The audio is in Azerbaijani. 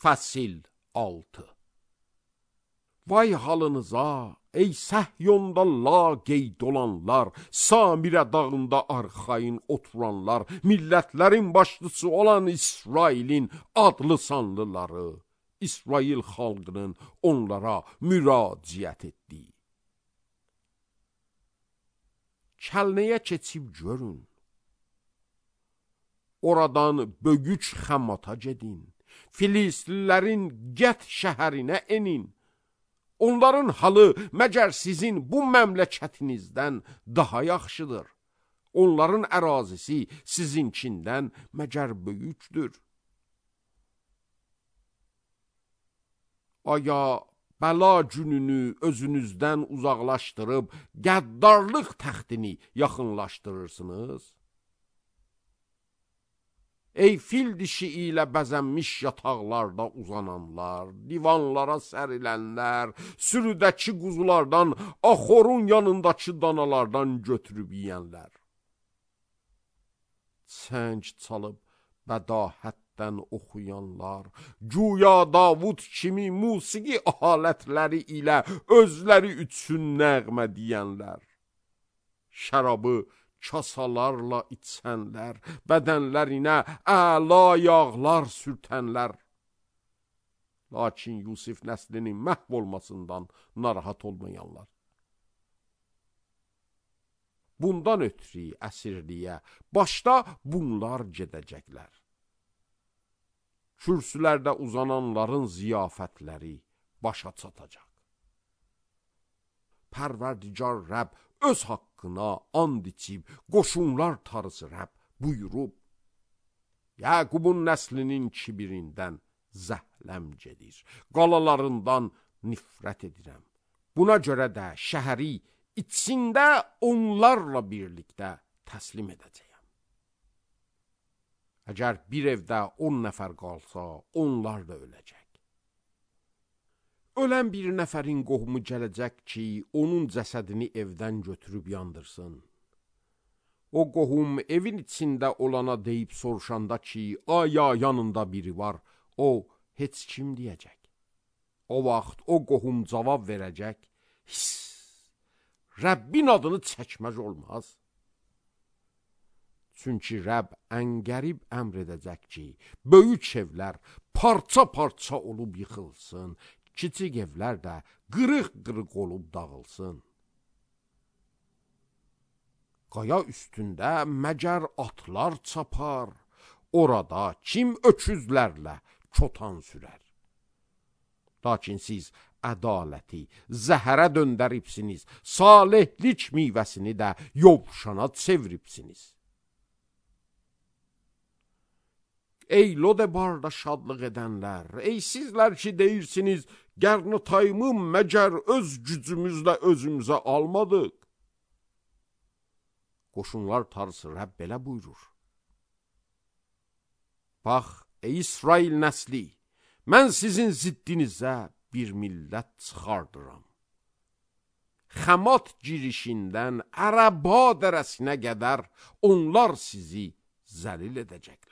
Fəsil 6. Vay halınıza, ey Səhyonda laqeyd olanlar, Samirə dağında arxayın oturanlar, millətlərin başlısı olan İsrailin adlı sanlıları, İsrail xalqının onlara müraciət etdiyi. Kəlnəyə keçib görün, oradan Bögüç Xəmata gedin, Filistlilərin Gət şəhərinə enin. Onların halı məgər sizin bu məmləkətinizdən daha yaxşıdır. Onların ərazisi sizinkindən məgər böyükdür. Aya bəla gününü özünüzdən uzaqlaşdırıb qəddarlıq təxtini yaxınlaşdırırsınız? Ey fil dişi ilə bəzənmiş yataqlarda uzananlar, divanlara sərilənlər, sürüdəki quzulardan, axorun yanındakı danalardan götürüb yiyənlər. Çəng çalıb bədahətdən oxuyanlar, güya Davud kimi musiqi alətləri ilə özləri üçün nəğmə deyənlər, şərabı kasalarla içənlər, bədənlərinə əla yağlar sürtənlər. Lakin Yusif nəslinin məhv olmasından narahat olmayanlar. Bundan ötürü əsirliyə başda bunlar gedəcəklər. Kürsülərdə uzananların ziyafətləri başa çatacaq. Pərverdigar Rəbb öz haqqına and içib, qoşunlar tarısı Rəbb buyurub, Yaqubun nəslinin kibirindən zəhləm gedir, qalalarından nifrət edirəm. Buna görə də şəhəri içində onlarla birlikdə təslim edəcəyəm. Əgər bir evdə 10 nəfər qalsa, onlar da öləcək. Ölən bir nəfərin qohumu gələcək ki, onun cəsədini evdən götürüb yandırsın. O qohum evin içində olana deyib soruşanda ki, aya yanında biri var, o heç kim deyəcək. O vaxt o qohum cavab verəcək, Rəbbin adını çəkməz olmaz. Çünki Rəbb əngərib əmr edəcək ki, böyük evlər parça-parça olub yıxılsın, kiçik evlər də qırıq-qırıq olub dağılsın. Qaya üstündə məgər atlar çapar, orada kim öküzlərlə çotan sürər. Lakin siz ədaləti zəhərə döndəribsiniz, salihlik meyvəsini də yovşana çeviribsiniz. Ey Lodebarda şadlıq edənlər, ey sizlər ki deyirsiniz, Gərnotayımı məgər öz gücümüzlə özümüzə almadıq. Qoşunlar tarısı Rəbb belə buyurur. Bax, ey İsrail nəsli, mən sizin ziddinizə bir millət çıxardıram. Xəmat girişindən Ərəba dərəsinə qədər onlar sizi zəlil edəcəklər.